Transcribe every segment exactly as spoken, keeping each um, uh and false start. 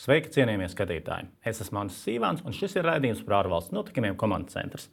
Sveiki, cienījamie skatītāji! Es esmu Mantis Sīvāns, un šis ir raidījums par ārvalstu notikumiem Komandas centrs.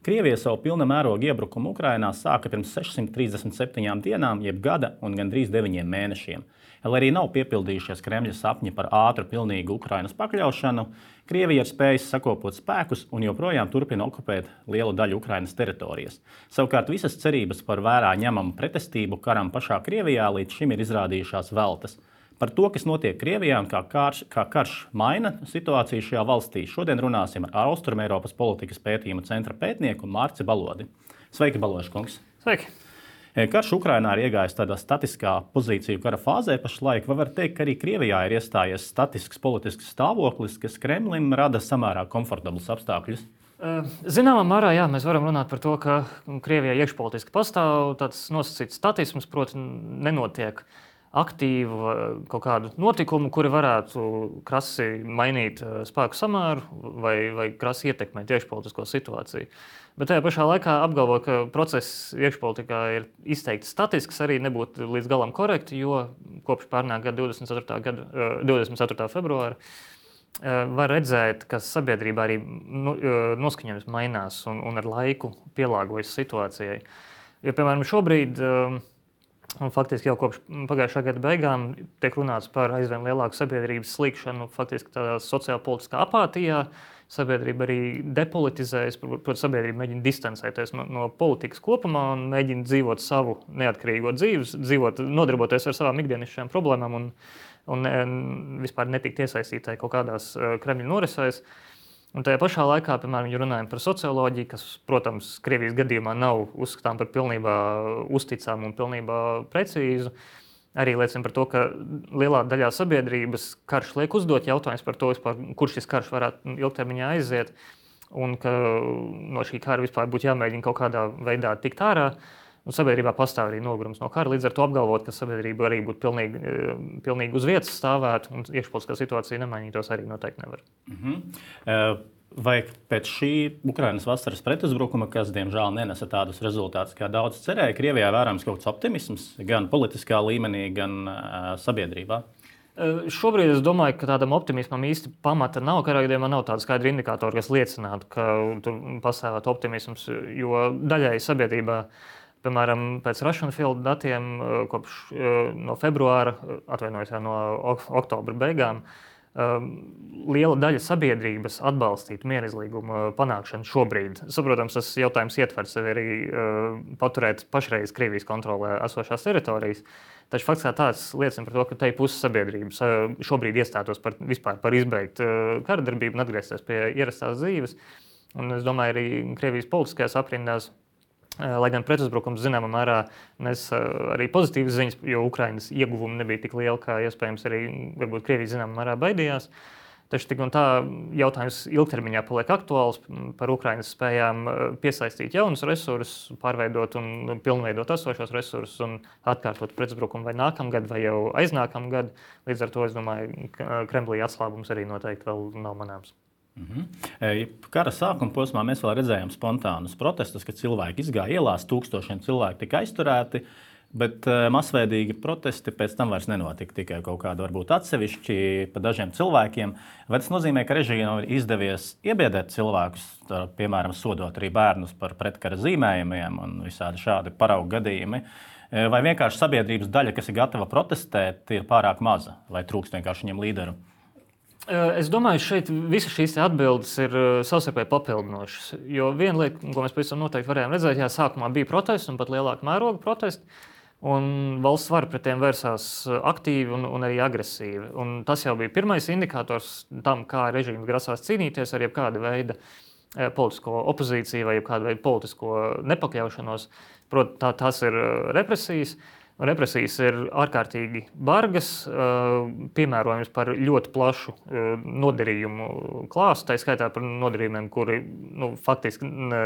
Krievija savu pilna mēroga iebrukumu Ukrainā sāka pirms sešsimt trīsdesmit septiņām dienām, jeb gada un gandrīz deviņiem mēnešiem. Lai arī nav piepildījušies Kremļa sapņi par ātru, pilnīgu Ukrainas pakļaušanu, Krievija ir spējusi sakopot spēkus un joprojām turpina okupēt lielu daļu Ukrainas teritorijas. Savukārt visas cerības par vērā ņemamu pretestību karam pašā Krievijā līdz šim ir izrādījušās veltas. Par to, kas notiek Krievijā un kā karš, kā karš maina situāciju šajā valstī, šodien runāsim ar Austrumeiropas politikas pētījuma centra pētnieku Mārci Balodi. Sveiki, Baložs kungs! Sveiki! Karš Ukrainā ir iegājis tādā statiskā pozīciju kara fāzē pašlaik. Vai var teikt, ka arī Krievijā ir iestājies statisks politisks stāvoklis, kas Kremlim rada samērā komfortablus apstākļus? Zināmā mērā, jā, mēs varam runāt par to, ka Krievijā iekšpolitiski pastāv tāds nosacīts statisms, proti nenotiek aktīvu kaut kādu notikumu, kuri varētu krasi mainīt spēku samēru vai, vai krasi ietekmēt iekšpolitisko situāciju. Bet tajā pašā laikā apgalvot, ka process iekšpolitikā ir izteikti statisks, arī nebūtu līdz galam korekti, jo kopš pērnā gada divdesmit ceturtā, gada, divdesmit ceturtā februāra var redzēt, ka sabiedrībā arī noskaņojums mainās un, un ar laiku pielāgojas situācijai. Jo, piemēram, šobrīd un faktiski jau kopš pagājušā gada beigām tiek runāts par aizvien lielāku sabiedrības slīkšanu, faktiski tādā sociālpolitiskā apātijā. Sabiedrība arī depolitizējas, proti sabiedrība mēģina distancēties no, no politikas kopumā un mēģina dzīvot savu neatkarīgo dzīvi, dzīvot, nodarboties ar savām ikdienišķajām problēmām un, un vispār netikt iesaistītai kaut kādās Kremļa norisēs. Un tajā pašā laikā, piemēram, ja runājam par socioloģiju, kas, protams, Krievijas gadījumā nav uzskatām par pilnībā uzticām un pilnībā precīzu, arī liecina par to, ka lielā daļā sabiedrības karš liek uzdot jautājums par to, vispār, kur šis karš varētu ilgtermiņā aiziet, un ka no šī kara vispār būtu jāmēģina kaut kādā veidā tikt ārā. Un sabiedrībā pastāv arī nogurums no kara, līdz ar to apgalvot, ka sabiedrība arī būtu pilnīgi, pilnīgi uz vietas stāvētu un iekšpolitiskā situācija nemainītos, arī noteikti nevar. Mm-hmm. Vai pēc šī Ukrainas vasaras pretuzbrukuma, kas diemžēl nenesa tādus rezultātus, kā daudz cerēja, Krievijā vērojams kaut kāds optimisms gan politiskā līmenī, gan uh, sabiedrībā? Šobrīd es domāju, ka tādam optimismam īsti pamata nav. Katrā gadījumā nav tāda skaidra indikātora, kas liecinātu, ka tur pastāvētu optimisms, jo daļai sabiedrībā, piemēram, pēc Russian Field datiem kopš no februāra, atvainojos no oktobra beigām, liela daļa sabiedrības atbalstītu mierizlīguma panākšanu šobrīd. Saprotams, tas jautājums ietver sevi arī paturēt pašreiz Krievijas kontrolē esošās teritorijas, taču fakts kā tāds liecina par to, ka te puses sabiedrības šobrīd iestātos par, vispār par izbeigt karadarbību un atgriezties pie ierastās dzīves. Un es domāju, arī Krievijas politiskajās aprindās, lai gan pretuzbrukums zināmā mērā nes arī pozitīvas ziņas, jo Ukrainas ieguvumi nebija tik lieli, kā iespējams arī varbūt Krievija zināmā mērā baidījās. Taču tik un tā jautājums ilgtermiņā paliek aktuāls par Ukrainas spējām piesaistīt jaunus resursus, pārveidot un pilnveidot esošos resursus un atkārtot pretuzbrukumu vai nākamgad vai jau aiznākamgad. Līdz ar to es domāju, ka Kremlī atslābums arī noteikti vēl nav manāms. Mm-hmm. Kara sākuma posmā mēs vēl redzējām spontānus protestus, kad cilvēki izgāja ielās, tūkstošiem cilvēku tika aizturēti, bet masveidīgi protesti pēc tam vairs nenotika, tikai kaut kādi varbūt atsevišķi pa dažiem cilvēkiem. Vai tas nozīmē, ka režīmam ir izdevies iebiedēt cilvēkus, piemēram, sodot arī bērnus par pretkara zīmējumiem un visādi šādi paraugu gadījumi? Vai vienkārši sabiedrības daļa, kas ir gatava protestēt, ir pārāk maza vai trūkst vienkārši viņiem līderu? Es domāju, šeit visas šīs atbildes ir savstarpēji papildinošas. Jo viena lieta, ko mēs pavisam noteikti varējām redzēt, jā, sākumā bija protesti un pat lielāka mēroga protesti, un valsts vara pret tiem vērsās aktīvi un, un arī agresīvi. Un tas jau bija pirmais indikators tam, kā režīms grasās cīnīties ar jebkāda veida politisko opozīciju vai jebkāda veida politisko nepakļaušanos. Proti, tā, tās ir represijas. Represijas ir ārkārtīgi bargas, piemērojams par ļoti plašu nodarījumu klāstu, tā skaitā par nodarījumiem, kuri nu, faktiski ne,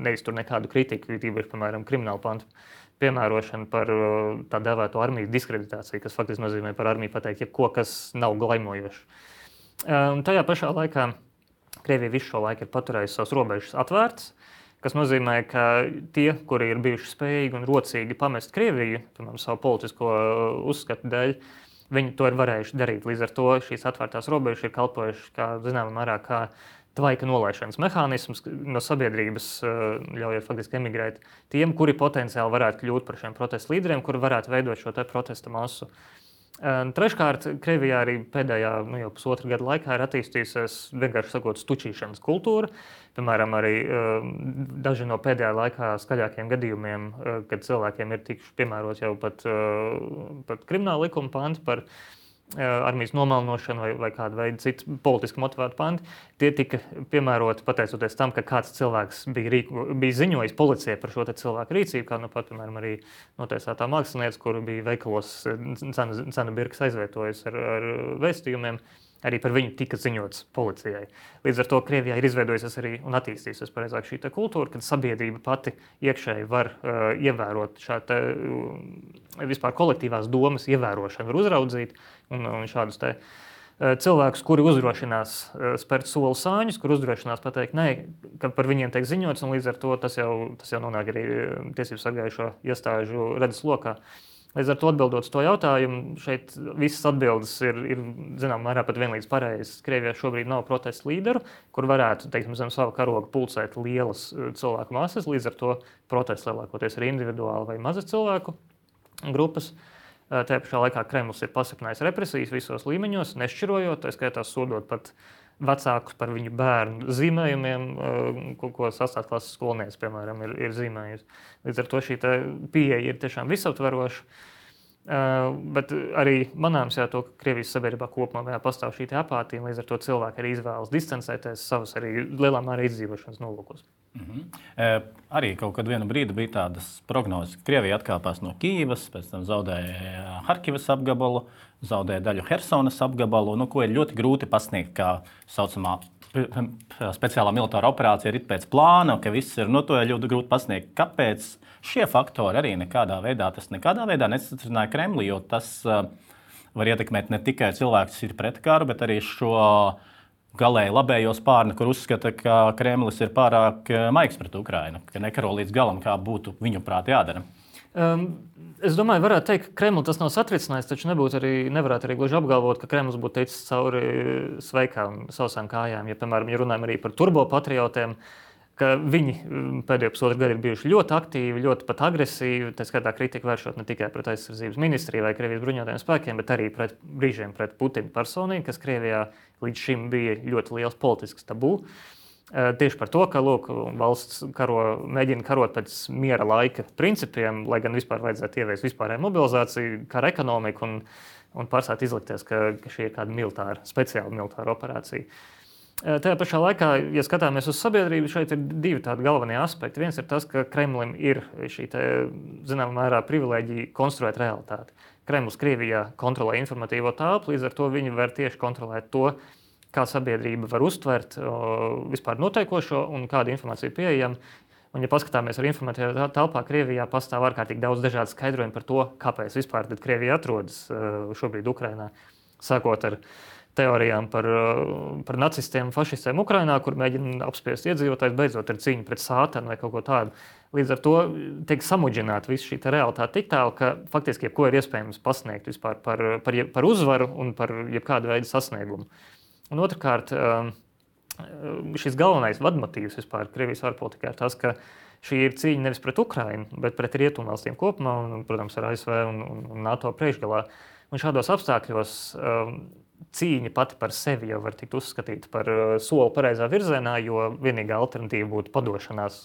neiztur nekādu kritiku, tīpaši, piemēram, kriminālu pantu piemērošanu par tā dēvēto armijas diskreditāciju, kas faktiski nozīmē par armiju pateikt jebko, kas nav glaimojošs. Tajā pašā laikā Krievija visu šo laiku ir paturējusi savas robežas atvērtas, kas nozīmē, ka tie, kuri ir bijuši spējīgi un rocīgi pamest Krieviju, piemēram, savu politisko uzskatu dēļ, viņi to ir varējuši darīt. Līdz ar to šīs atvērtās robežas ir kalpojušas kā, zināmā mērā, kā tvaika nolaišanas mehānisms no sabiedrības, ļaujot faktiski emigrēt tiem, kuri potenciāli varētu kļūt par šiem protestu līderiem, kuri varētu veidot šo te protesta masu. Treškārt, Krievijā arī pēdējā nu, jau pusotra gada laikā ir attīstījusies, vienkārši sakot, stučīšanas kultūra. Piemēram, arī daži no pēdējā laikā skaļākiem gadījumiem, kad cilvēkiem ir tikuši piemērot jau pat, pat krimināla likuma panti par armijas nomalnošanu vai, vai kādu veidu citu politiski motivētu panti, tie tika piemēroti pateicoties tam, ka kāds cilvēks bija, rīku, bija ziņojis policijai par šo te cilvēku rīcību, kā nu pat, piemēram, arī notiesātā mākslinieca, kuru bija veikalos cenu, cenu birkas aizvietojusi ar, ar vēstījumiem, arī par viņu tika ziņots policijai. Līdz ar to Krievijā ir izveidojusies arī un attīstījusies pareizāk šī kultūra, kad sabiedrība pati iekšēji var uh, ievērot šādu uh, vispār kolektīvās domas ievērošanu, var uzraudzīt un, un šādus te uh, cilvēkus, kuri uzdrošinās uh, spērt soli sāņus, kuri uzdrošinās pateikt, nē, ka par viņiem tiek ziņots, un līdz ar to tas jau, tas jau nonāk arī tiesību sargājušo iestāžu redzes lokā. Līdz ar to atbildot uz to jautājumu, šeit visas atbildes ir, ir zināmā mērā pat vienlīdz pareizas. Krievijā šobrīd nav protestu līderu, kur varētu, teiksim, zem sava karoga pulcēt lielas cilvēku masas, līdz ar to protests lielākoties ir individuāli vai mazas cilvēku grupas. Tajā pašā laikā Kremlis ir pasiprinājis represijas visos līmeņos, nešķirojot, tā skaitā sodot pat vecākus par viņu bērnu zīmējumiem, ko, ko sastās klases skolnieks, piemēram, ir, ir zīmējusi. Līdz ar to šī pieeja ir tiešām visaptveroša. Uh, bet arī manāms jā, to, ka Krievijas sabiedrībā kopumā pastāv šī apātija, un līdz ar to cilvēki arī izvēlas distancēties savas arī lielā mērā izdzīvošanas nolūkos. Mm-hmm. E, arī kaut kad vienu brīdi bija tādas prognozes, ka Krievija atkāpās no Kīivas, pēc tam zaudēja Harkivas apgabalu, zaudēja daļu Hersonas apgabalu, nu, ko ir ļoti grūti pasniegt kā saucamā speciālā militāra operācija ir pēc plāna, ka viss ir, nu, to ir ļoti grūti pasniegt. Kāpēc šie faktori arī nekādā veidā, tas nekādā veidā nesatricināja Kremli, jo tas uh, var ietekmēt ne tikai cilvēkus, kas ir pret karu, bet arī šo galēji labējo spārni, kur uzskata, ka Kremlis ir pārāk maigs pret Ukrainu, ka nekaro līdz galam, kā būtu viņu prāt jādara. Um, es domāju, varētu teikt, ka Kremli tas nav satricinājis, taču nebūtu arī, nevarētu arī gluži apgalvot, ka Kremlis būtu teicis cauri sveikām sausām kājām. Ja, piemēram, ja runājam arī par turbopatriotiem, ka viņi pēdējo pusotru gadu ir bijuši ļoti aktīvi, ļoti pat agresīvi, tā skaitā kritika vēršot ne tikai pret aizsardzības ministriju vai Krievijas bruņotajiem spēkiem, bet arī pret brīžiem pret Putina personīgi, kas Krievijā līdz šim bija ļoti liels politisks tabū. Tieši par to, ka lūk, valsts karo, mēģina karot pēc miera laika principiem, lai gan vispār vajadzētu ieviest vispārēju mobilizāciju, kara ekonomiku un, un pārstāt izlikties, ka, ka šī ir kāda militāra, speciāla militāra operācija. Tajā pašā laikā, ja skatāmies uz sabiedrību, šeit ir divi tādi galvenie aspekti. Viens ir tas, ka Kremlim ir šī te, zināmā mērā privilēģija konstruēt realitāti. Kremlis Krievijā kontrolē informatīvo telpu, līdz ar to viņi var tieši kontrolēt to, kā sabiedrība var uztvert o, vispār notiekošo un kāda informācija pieejama. Un, ja paskatāmies ar informatīvā telpā, Krievijā pastāv ārkārtīgi daudz dažādu skaidrojumu par to, kāpēc vispār tad Krievija atrodas uh, šobrīd Ukrainā, sākot ar teorijām par, uh, par nacistiem un fašistiem Ukrainā, kur mēģina apspiest iedzīvotājus, beidzot ar cīņu pret sātanu vai kaut ko tādu. Līdz ar to tiek samudžināta visa šī realitāte tik tālu, ka faktiski jebko ir iespējams pasniegt vispār par, par, par uzvaru un par jebkādu veidu sasniegumu. Un otrkārt, šis galvenais vadmotīvs vispār Krievijas ārpolitikā ir tas, ka šī ir cīņa nevis pret Ukrainu, bet pret rietumvalstīm kopumā un, protams, ar A S V un, un NATO priekšgalā. Un šādos apstākļos cīņa pati par sevi jau var tikt uzskatīta par soli pareizā virzienā, jo vienīgā alternatīva būtu padošanās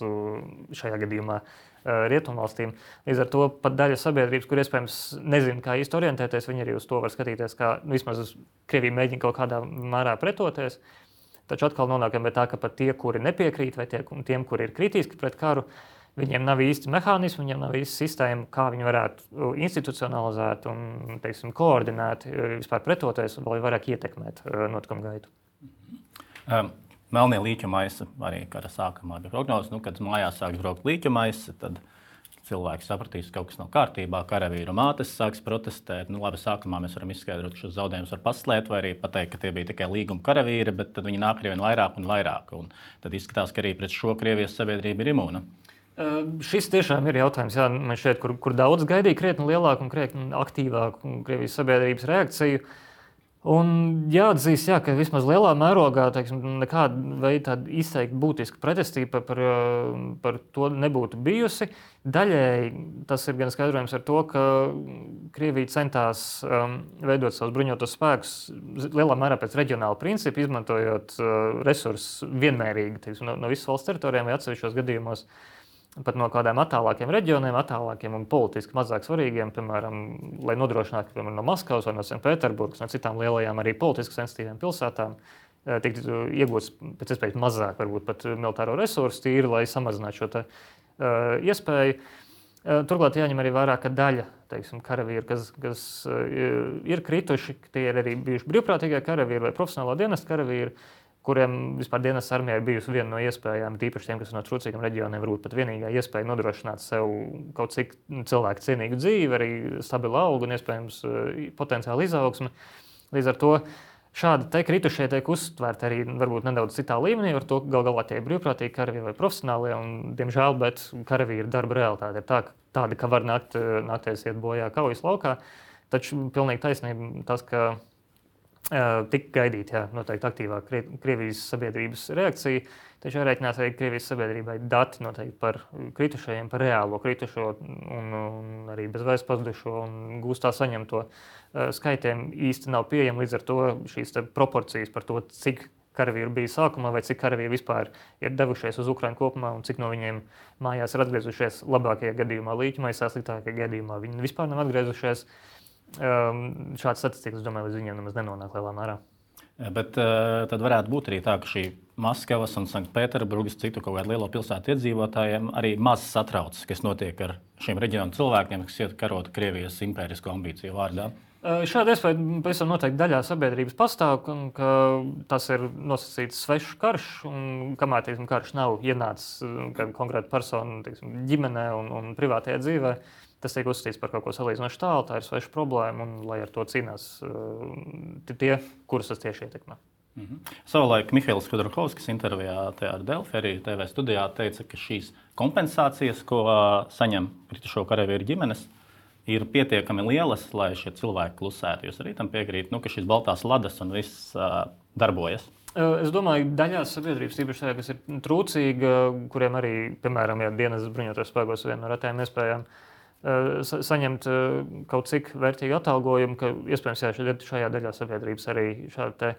šajā gadījumā rietumvalstīm. Līdz ar to pat daļa sabiedrības, kur iespējams nezina, kā īsti orientēties, viņi arī uz to var skatīties, kā nu, vismaz Krievija mēģina kaut kādā mērā pretoties. Taču atkal nonākam pie tā, ka pat tie, kuri nepiekrīt, vai tie, tiem, kuri ir kritiski pret karu, viņiem nav īsti mehānismi, viņiem nav īsti sistēma, kā viņi varētu institucionalizēt un, teiksim, koordinēt, vispār pretoties un vēl vairāk ietekmēt notikumu gaitu. Um. Melnie līķa maisi arī kara sākumā bija prognozes. Nu, kad mājās sāks braukt līķa maisi, tad cilvēki sapratīs, ka kaut kas nav kārtībā. Karavīru mātes sāks protestēt. Nu, labi, sākumā mēs varam izskaidrot, ka šos zaudējumus var paslēpt vai arī pateikt, ka tie bija tikai līguma karavīri, bet tad viņi nāk ar vien vairāk un vairāk. Un tad izskatās, ka arī pret šo Krievijas sabiedrība ir imūna. Šis tiešām ir jautājums, jā, man šeit, kur, kur daudz gaidīja krietni lielāku un krietni aktīvāku Krievijas sabiedrības reakciju. Un jāatzīst, jā, ka vismaz lielā mērogā teiksim, nekāda veida izteikti būtiska pretestība par, par to nebūtu bijusi. Daļēji tas ir gan skaidrojams ar to, ka Krievija centās um, veidot savus bruņotos spēkus lielā mērā pēc reģionāla principa, izmantojot uh, resursus vienmērīgi teiksim, no, no visas valsts teritorijām vai atsevišķos gadījumos. Pat no kādiem attālākiem reģioniem, attālākiem un politiski mazāk svarīgiem, piemēram, lai nodrošinātu, piemēram, no Maskavas vai no Sanktpēterburgas, no citām lielajām arī politiski sensitīvām pilsētām, tiktu iegūts pēc iespējas mazāk, varbūt pat militāro resursu tīri, lai samazinātu šo te, uh, iespēju. Uh, turklāt jāņem arī vērā, ka daļa, teiksim, karavīru, kas, kas uh, ir krituši, tie ir arī bijuši brīvprātīgie karavīri vai profesionālā dienesta karavīri, kuriem vispār dienas armijā ir bijusi viena no iespējām, tīpaši tiem, kas no trūcīgiem reģioniem, varbūt pat vienīgā iespēja nodrošināt sev kaut cik cilvēku cienīgu dzīvi, arī stabilu algu un iespējams potenciālu izaugsmi. Līdz ar to šādi te kritušie tiek uztvērti arī varbūt nedaudz citā līmenī, ar to gal galā tie ir brīvprātīgi karavīri vai profesionālie, un, diemžēl, bet karavīri darba realitāte ir tā, tāda, ka var nākt, nākties iet bojā kaujas laukā, taču pilnīgi taisnība tas, ka tik gaidīt, jā, noteikti aktīvāk Krievijas sabiedrības reakcija, taču jārēķinās arī Krievijas sabiedrībai dati noteikti par kritušajiem, par reālo kritušo un, un arī bezvēs pazudušo un gūstā saņemto skaitiem īsti nav pieejami, līdz ar to šīs proporcijas par to, cik karavīru bija sākumā vai cik karavīri vispār ir devušies uz Ukrainu kopumā un cik no viņiem mājās ir atgriezušies labākajā gadījumā līķmaisā, sliktākajā gadījumā viņi vispār nav atgriezušies. Um, šāds statistikas, domāju, līdz viņiem nemaz nenonāk lielā mērā. Bet uh, tad varētu būt arī tā, ka šī Maskavas un Sanktpēterburgas citu kaut kādu lielo pilsētu iedzīvotājiem arī maz satrauc, kas notiek ar šiem reģionu cilvēkiem, kas iet karot Krievijas impērisko ambīciju vārdā. Uh, šāda iespēja pavisam noteikti daļā sabiedrības pastāv, ka, ka tas ir nosacīts svešs karš, un kamēr teiksim, karš nav ienācis konkrēta persona teiksim, ģimenē un, un privātajā dzīvē, tas tiek uzskatīts par kaut ko salīdzinoši tālu, tā ir sveša problēma, un lai ar to cīnās uh, tie, kurus tas tieši ietekmē. Mm-hmm. Savulaik Mihails Khodorkovskis intervijā ar Delfi arī T V studijā teica, ka šīs kompensācijas, ko uh, saņem kritušo karavīru ģimenes, ir pietiekami lielas, lai šie cilvēki klusētu. Jūs arī tam piekrīt, nu, ka šīs baltās ladas un viss uh, darbojas? Es domāju, daļā sabiedrības, tīpaši tajā, kas ir trūcīga, kuriem arī, piemēram, ja dienas bruņotos spēkos viena no retajām iespējām, saņemt kaut cik vērtīgu atalgojumu, ka iespējams jā, šajā daļā sabiedrības arī te,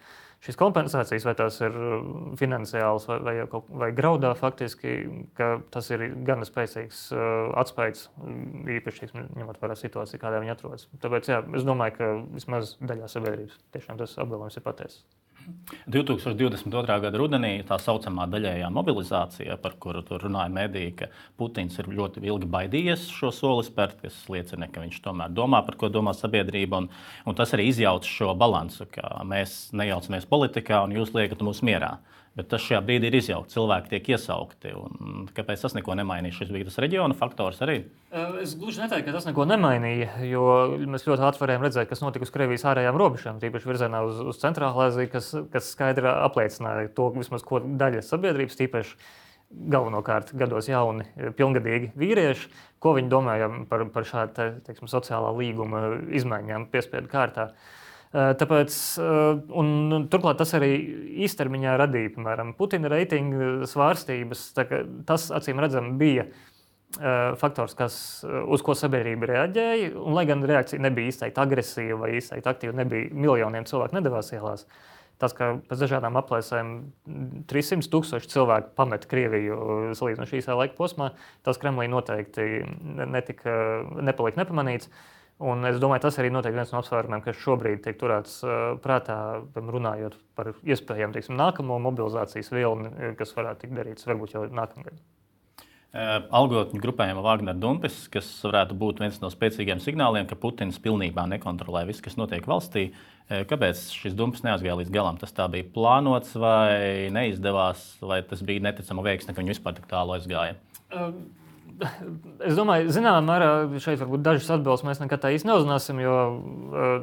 šīs kompensācijas, vai tās ir finansiāls vai, vai, vai graudā faktiski, ka tas ir gana spēcīgs atspējas, īpaši ņemot vērā situāciju, kādā viņi atrodas. Tāpēc jā, es domāju, ka vismaz daļā sabiedrības tiešām tas apgalvojums ir patiesas. divi tūkstoši divdesmit otrā gada rudenī tā saucamā daļējā mobilizācija, par kuru tur runāja mediji, ka Putins ir ļoti ilgi baidījies šo soli spērt, kas liecina, ka viņš tomēr domā, par ko domā sabiedrība, un, un tas arī izjauc šo balansu, ka mēs nejaucamies politikā un jūs liekat mūs mierā. Bet tas šajā brīdī ir izjaukts, cilvēki tiek iesaukti. Un kāpēc tas neko nemainīja? Šis bija tas reģiona faktors arī? Es gluži neteiktu, ka tas neko nemainīja, jo mēs ļoti ātri varējām redzēt, kas notika uz Krievijas ārējām robežām, tīpaši virzienā uz, uz Centrālā Aziju, kas, kas skaidri apliecināja to, vismaz, ko daļa sabiedrības, tīpaši galvenokārt gados jauni, pilngadīgi vīrieši, ko viņi domāja par, par šādu teiksim, sociālā līguma izmaiņām piespiedu kārtā. Tāpēc, un turklāt tas arī īstermiņā radīja, piemēram, Putina reitingu svārstības. Tas, acīm redzam, bija faktors, kas, uz ko sabiedrība reaģēja. Un, lai gan reakcija nebija izteikti agresīva vai izteikti aktīva, nebija miljoniem cilvēku nedavās ielās. Tas, ka pēc dažādām aplēsēm trīs simti tūkstoši cilvēku pamet Krieviju salīdzinoši īsā laika posmā, tas Kremlī noteikti netika, nepalika nepamanīts. Un es domāju, tas arī noteikti viens no apsvērumiem, kas šobrīd tiek turēts prātā, runājot par iespējām teiksim, nākamo mobilizācijas vilni, kas varētu tikt darīts varbūt jau nākamgad. Algotņu grupējuma Wagner Dumpis, kas varētu būt viens no spēcīgiem signāliem, ka Putins pilnībā nekontrolē visu, kas notiek valstī. Kāpēc šis Dumpis neaizgāja līdz galam? Tas tā bija plānots vai neizdevās, vai tas bija neticama veiksme, ka viņi vispār tik tālu aizgāja? Um. Es domāju, zināmā mērā šeit varbūt dažas atbildes mēs nekad tā īsti neuzzināsim, jo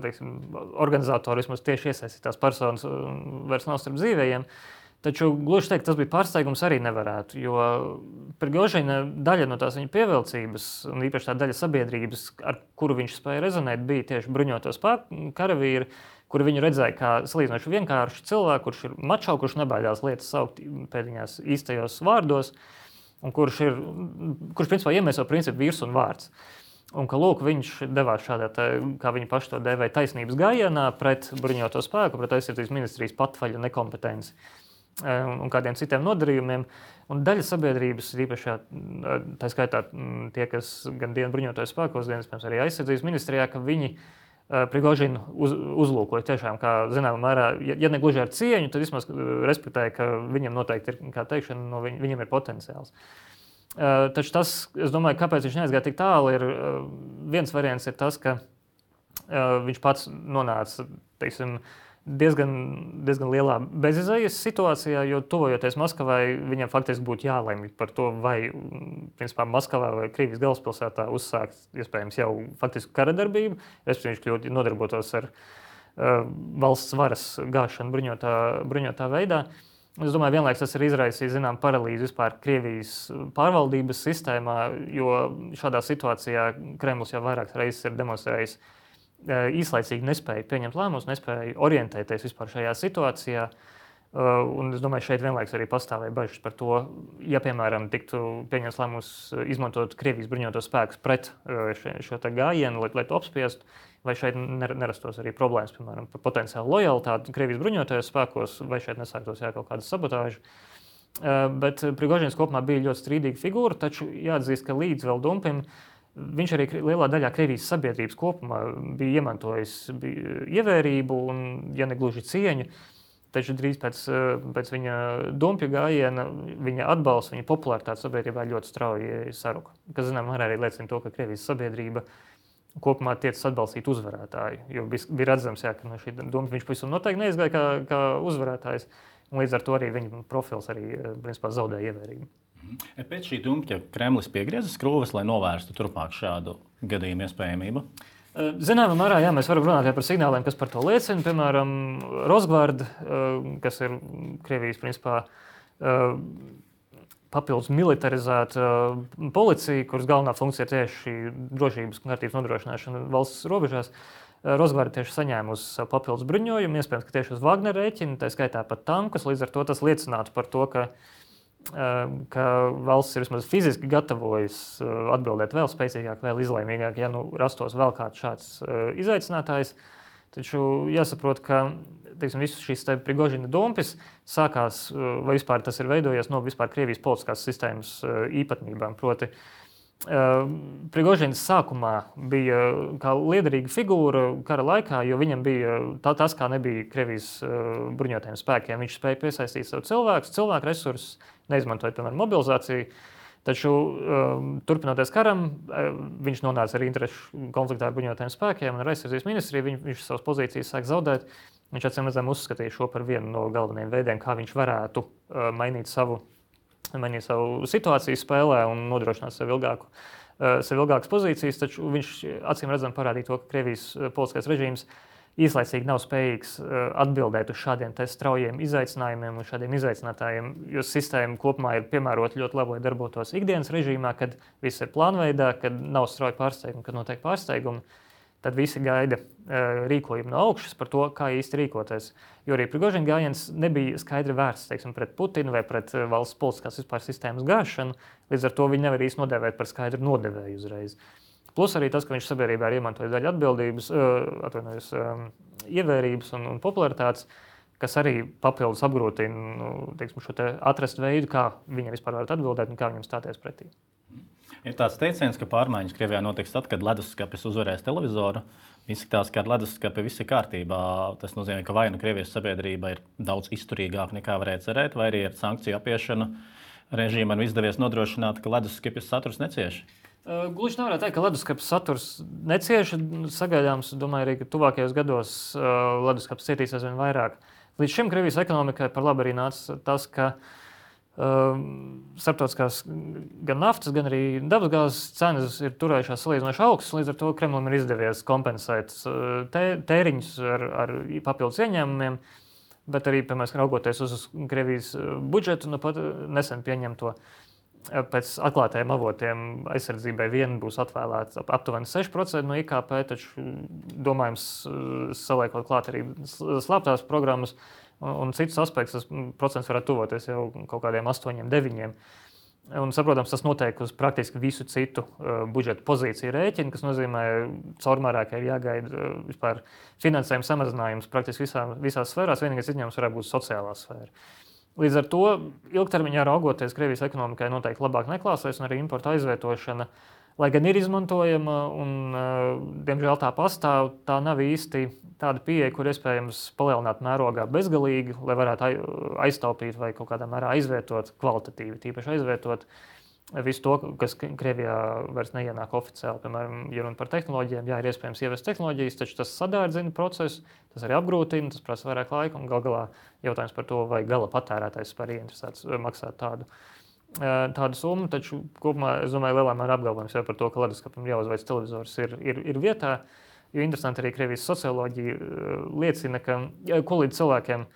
teiksim, organizatori vismaz tieši iesaistītās personas vairs nav starp dzīvējiem. Taču gluži teikt, tas bija pārsteigums arī nevarētu, jo Prigožina daļa no tās viņa pievilcības, un īpaši tā daļa sabiedrības, ar kuru viņš spēja rezonēt, bija tieši bruņoto spēku karavīri, kuri viņu redzēja kā salīdzinoši vienkārši cilvēku, kurš ir mačo, kurš nebaidās lietas saukt pēdiņās īstajos vārdos, un kurš ir, kurš principā iemieso principu vīrs un vārds. Un ka, lūk, viņš devās šādā, tā, kā viņi paši to dēvēja, taisnības gājienā pret bruņoto spēku, pret aizsardzības ministrijas patvaļu nekompetenci un kādiem citiem nodarījumiem. Un daļa sabiedrības, īpaši tā skaitā tie, kas gan dienu bruņotoju spēkos, gan arī aizsardzības ministrijā, ka viņi Prigožinu uz, uzlūkoja tiešām, kā zināmā mērā, ja, ja ne gluži ar cieņu, tad vismaz respektēja, ka viņam noteikti ir, kā teikšana, no viņ, viņam ir potenciāls. Uh, taču tas, es domāju, kāpēc viņš neaizgāja tik tālu, ir uh, viens variants ir tas, ka uh, viņš pats nonāca, teiksim, diezgan, diezgan lielā bezizējas situācijā, jo tuvojoties Maskavai, viņam faktiski būtu jālemj par to, vai principā Maskavā vai Krievijas galvaspilsētā uzsākt, iespējams, jau faktiski karadarbību, respektīvi viņš kļūt nodarbotos ar uh, valsts varas gāšanu bruņotā, bruņotā veidā. Es domāju, vienlaiks tas ir izraisījis, zinām, paralīzi vispār Krievijas pārvaldības sistēmā, jo šādā situācijā Kremlis jau vairākas reizes ir demonstrējis īslaicīgi nespēja pieņemt lēmumus, nespēja orientēties vispār šajā situācijā. Un es domāju, šeit vienlaiks arī pastāvēja bažas par to, ja, piemēram, tiktu pieņemts lēmums izmantot Krievijas bruņotos spēkus pret šo te gājienu, lai, lai to apspiestu, vai šeit nerastos arī problēmas, piemēram, par potenciālu lojalitāti Krievijas bruņotajos spēkos, vai šeit nesāktos jā, kaut kāda sabotāža. Bet Prigožins kopumā bija ļoti strīdīga figūra, taču jāatzīst, ka līdz vēl Dumpim viņš arī lielā daļā Krievijas sabiedrības kopumā bija iemantojis bija ievērību un, ja ne gluži cieņu, taču drīz pēc, pēc viņa Dumpja gājiena viņa atbalsts, viņa popularitāte sabiedrībā ļoti strauji saruka. Kas, zinām, arī liecina to, ka Krievijas sabiedrība kopumā tiecas atbalstīt uzvarētāju, jo bija, bija redzams, jā, ka no šī Dumpja viņš pavisam noteikti neizgāja kā, kā uzvarētājs, un līdz ar to arī viņa profils arī, principā, zaudēja ievērību. Pēc šī Dumpja Kremlis piegrieza skrūves, lai novērstu turpmāk šādu gadījumu iespējamību? Zināmā mērā, jā, mēs varam runāt par signāliem, kas par to liecina. Piemēram, Rosgvarda, kas ir Krievijas principā papildus militarizēta policija, kuras galvenā funkcija ir tieši drošības un kārtības nodrošināšana valsts robežās. Rosgvarda tieši saņēmusi savu papildus bruņojumu, iespējams, ka tieši uz Wagner rēķina, tā skaitā pat tankus, līdz ar to tas liecinātu par to, ka ka valsts ir vismaz fiziski gatavojas atbildēt vēl spēcīgāk, vēl izlēmīgāk, ja nu rastos vēl kāds šāds izaicinātājs. Taču jāsaprot, ka teiksim, visus šīs Prigožina dumpis sākās, vai vispār tas ir veidojies no vispār Krievijas politiskās sistēmas īpatnībām. Proti, Prigožins sākumā bija kā liederīga figūra kara laikā, jo viņam bija tā, tas, kā nebija Krievijas bruņotajiem spēkiem. Viņš spēja piesaistīt savu cilvēkus, cilvēku resursus, neizmantojot, piemēram, mobilizāciju. Taču, turpinoties karam, viņš nonāca arī interešu konfliktā ar bruņotajiem spēkiem un ar aizsardzības ministriju. Viņš, viņš savas pozīcijas sāk zaudēt. Viņš acīm redzam uzskatīja šo par vienu no galvenajiem veidiem, kā viņš varētu mainīt savu mainīt savu situāciju spēlē un nodrošināt sev, ilgāku, sev ilgākas pozīcijas, taču viņš acīm redzam parādīja to, ka Krievijas politiskais režīms īslaicīgi nav spējīgs atbildēt uz šādiem te straujiem izaicinājumiem un šādiem izaicinātājiem, jo sistēma kopumā ir piemērota ļoti labi, lai darbotos ikdienas režīmā, kad viss ir plānveidā, kad nav strauji pārsteigumi, kad notiek pārsteigumi. Tad visi gaida uh, rīkojumu no augšas par to, kā īsti rīkoties. Jo arī Prigožina gājiens nebija skaidri vērsts, teiksim, pret Putinu vai pret uh, valsts politiskās vispār sistēmas gāšanu. Līdz ar to viņi nevar īsti nodēvēt par skaidru nodevēju uzreiz. Plus arī tas, ka viņš sabiedrībā ir iemantojis daļu atbildības, uh, atvainojos, um, ievērības un, un popularitātes, kas arī papildus apgrūtina nu, teiksim, šo te atrast veidu, kā viņam vispār varat atbildēt un kā viņam stāties pretī. Ir tāds teiciens, ka pārmaiņas Krievijā notiks tad, kad leduskapis uzvarēs televizoru. Izskatās, ka ar leduskapi viss ir kārtībā. Tas nozīmē, ka vai nu Krievijas sabiedrība ir daudz izturīgāka nekā varēja cerēt, vai arī ar sankciju apiešanu režīmam izdevies nodrošināt, ka leduskapis saturs necieš. Uh, Gluži nevarētu teikt, ka leduskapis saturs necieš. Sagaidāms, domāju, arī, ka tuvākajos gados uh, leduskapis cietīs aizvien vairāk. Līdz šim Krievijas ekonomikai par labu arī nāca tas, ka Uh, starptautiskās gan naftas, gan arī dabasgāzes cenas ir turējušās salīdzinoši augstas, līdz ar to Kremlim ir izdevies kompensēt uh, tē, tēriņus ar, ar papildus ieņēmumiem. bet arī, piemēram, raugoties uz Krievijas budžetu, nu pat nesen pieņemto. Pēc atklātajiem avotiem aizsardzībai vien būs atvēlēts aptuveni seši procenti no I K P, taču domājams saliekot klāt arī slēptās programmas un citus aspektus, tas procents varētu tuvoties jau kaut kādiem astoņiem, deviņiem. Un, saprotams, tas notiek uz praktiski visu citu uh, budžeta pozīciju rēķinu, kas nozīmē, caurmērā, ka ir jāgaida uh, vispār finansējuma samazinājums praktiski visā, visās sfērās, vienīgais izņēmums varētu būt sociālā sfēra. Līdz ar to ilgtermiņā raugoties Krievijas ekonomikai noteikti labāk neklāsies, un arī importa aizvietošana, lai gan ir izmantojama un, diemžēl, tā pastāv, tā nav īsti tāda pieeja, kur iespējams palielināt mērogā bezgalīgi, lai varētu aiztaupīt vai kaut kādā mērā aizvietot kvalitatīvi, tīpaši aizvietot visu to, kas Krievijā vairs neienāk oficiāli. Piemēram, ja runa par tehnoloģijām, jā, ir iespējams ievest tehnoloģijas, taču tas sadārdzina procesu, tas arī apgrūtina, tas prasa vairāk laika, un gal galā jautājums par to, vai gala patērētājs spēr ieinteresēts maksāt tādu, tādu summu, taču kopumā, es domāju, lielā mērā apgalvojums jau par to, ka leduskapim jāuzveic televizors ir, ir, ir vietā, jo interesanti arī Krievijas socioloģija liecina, ka, ko līdz cilvēkiem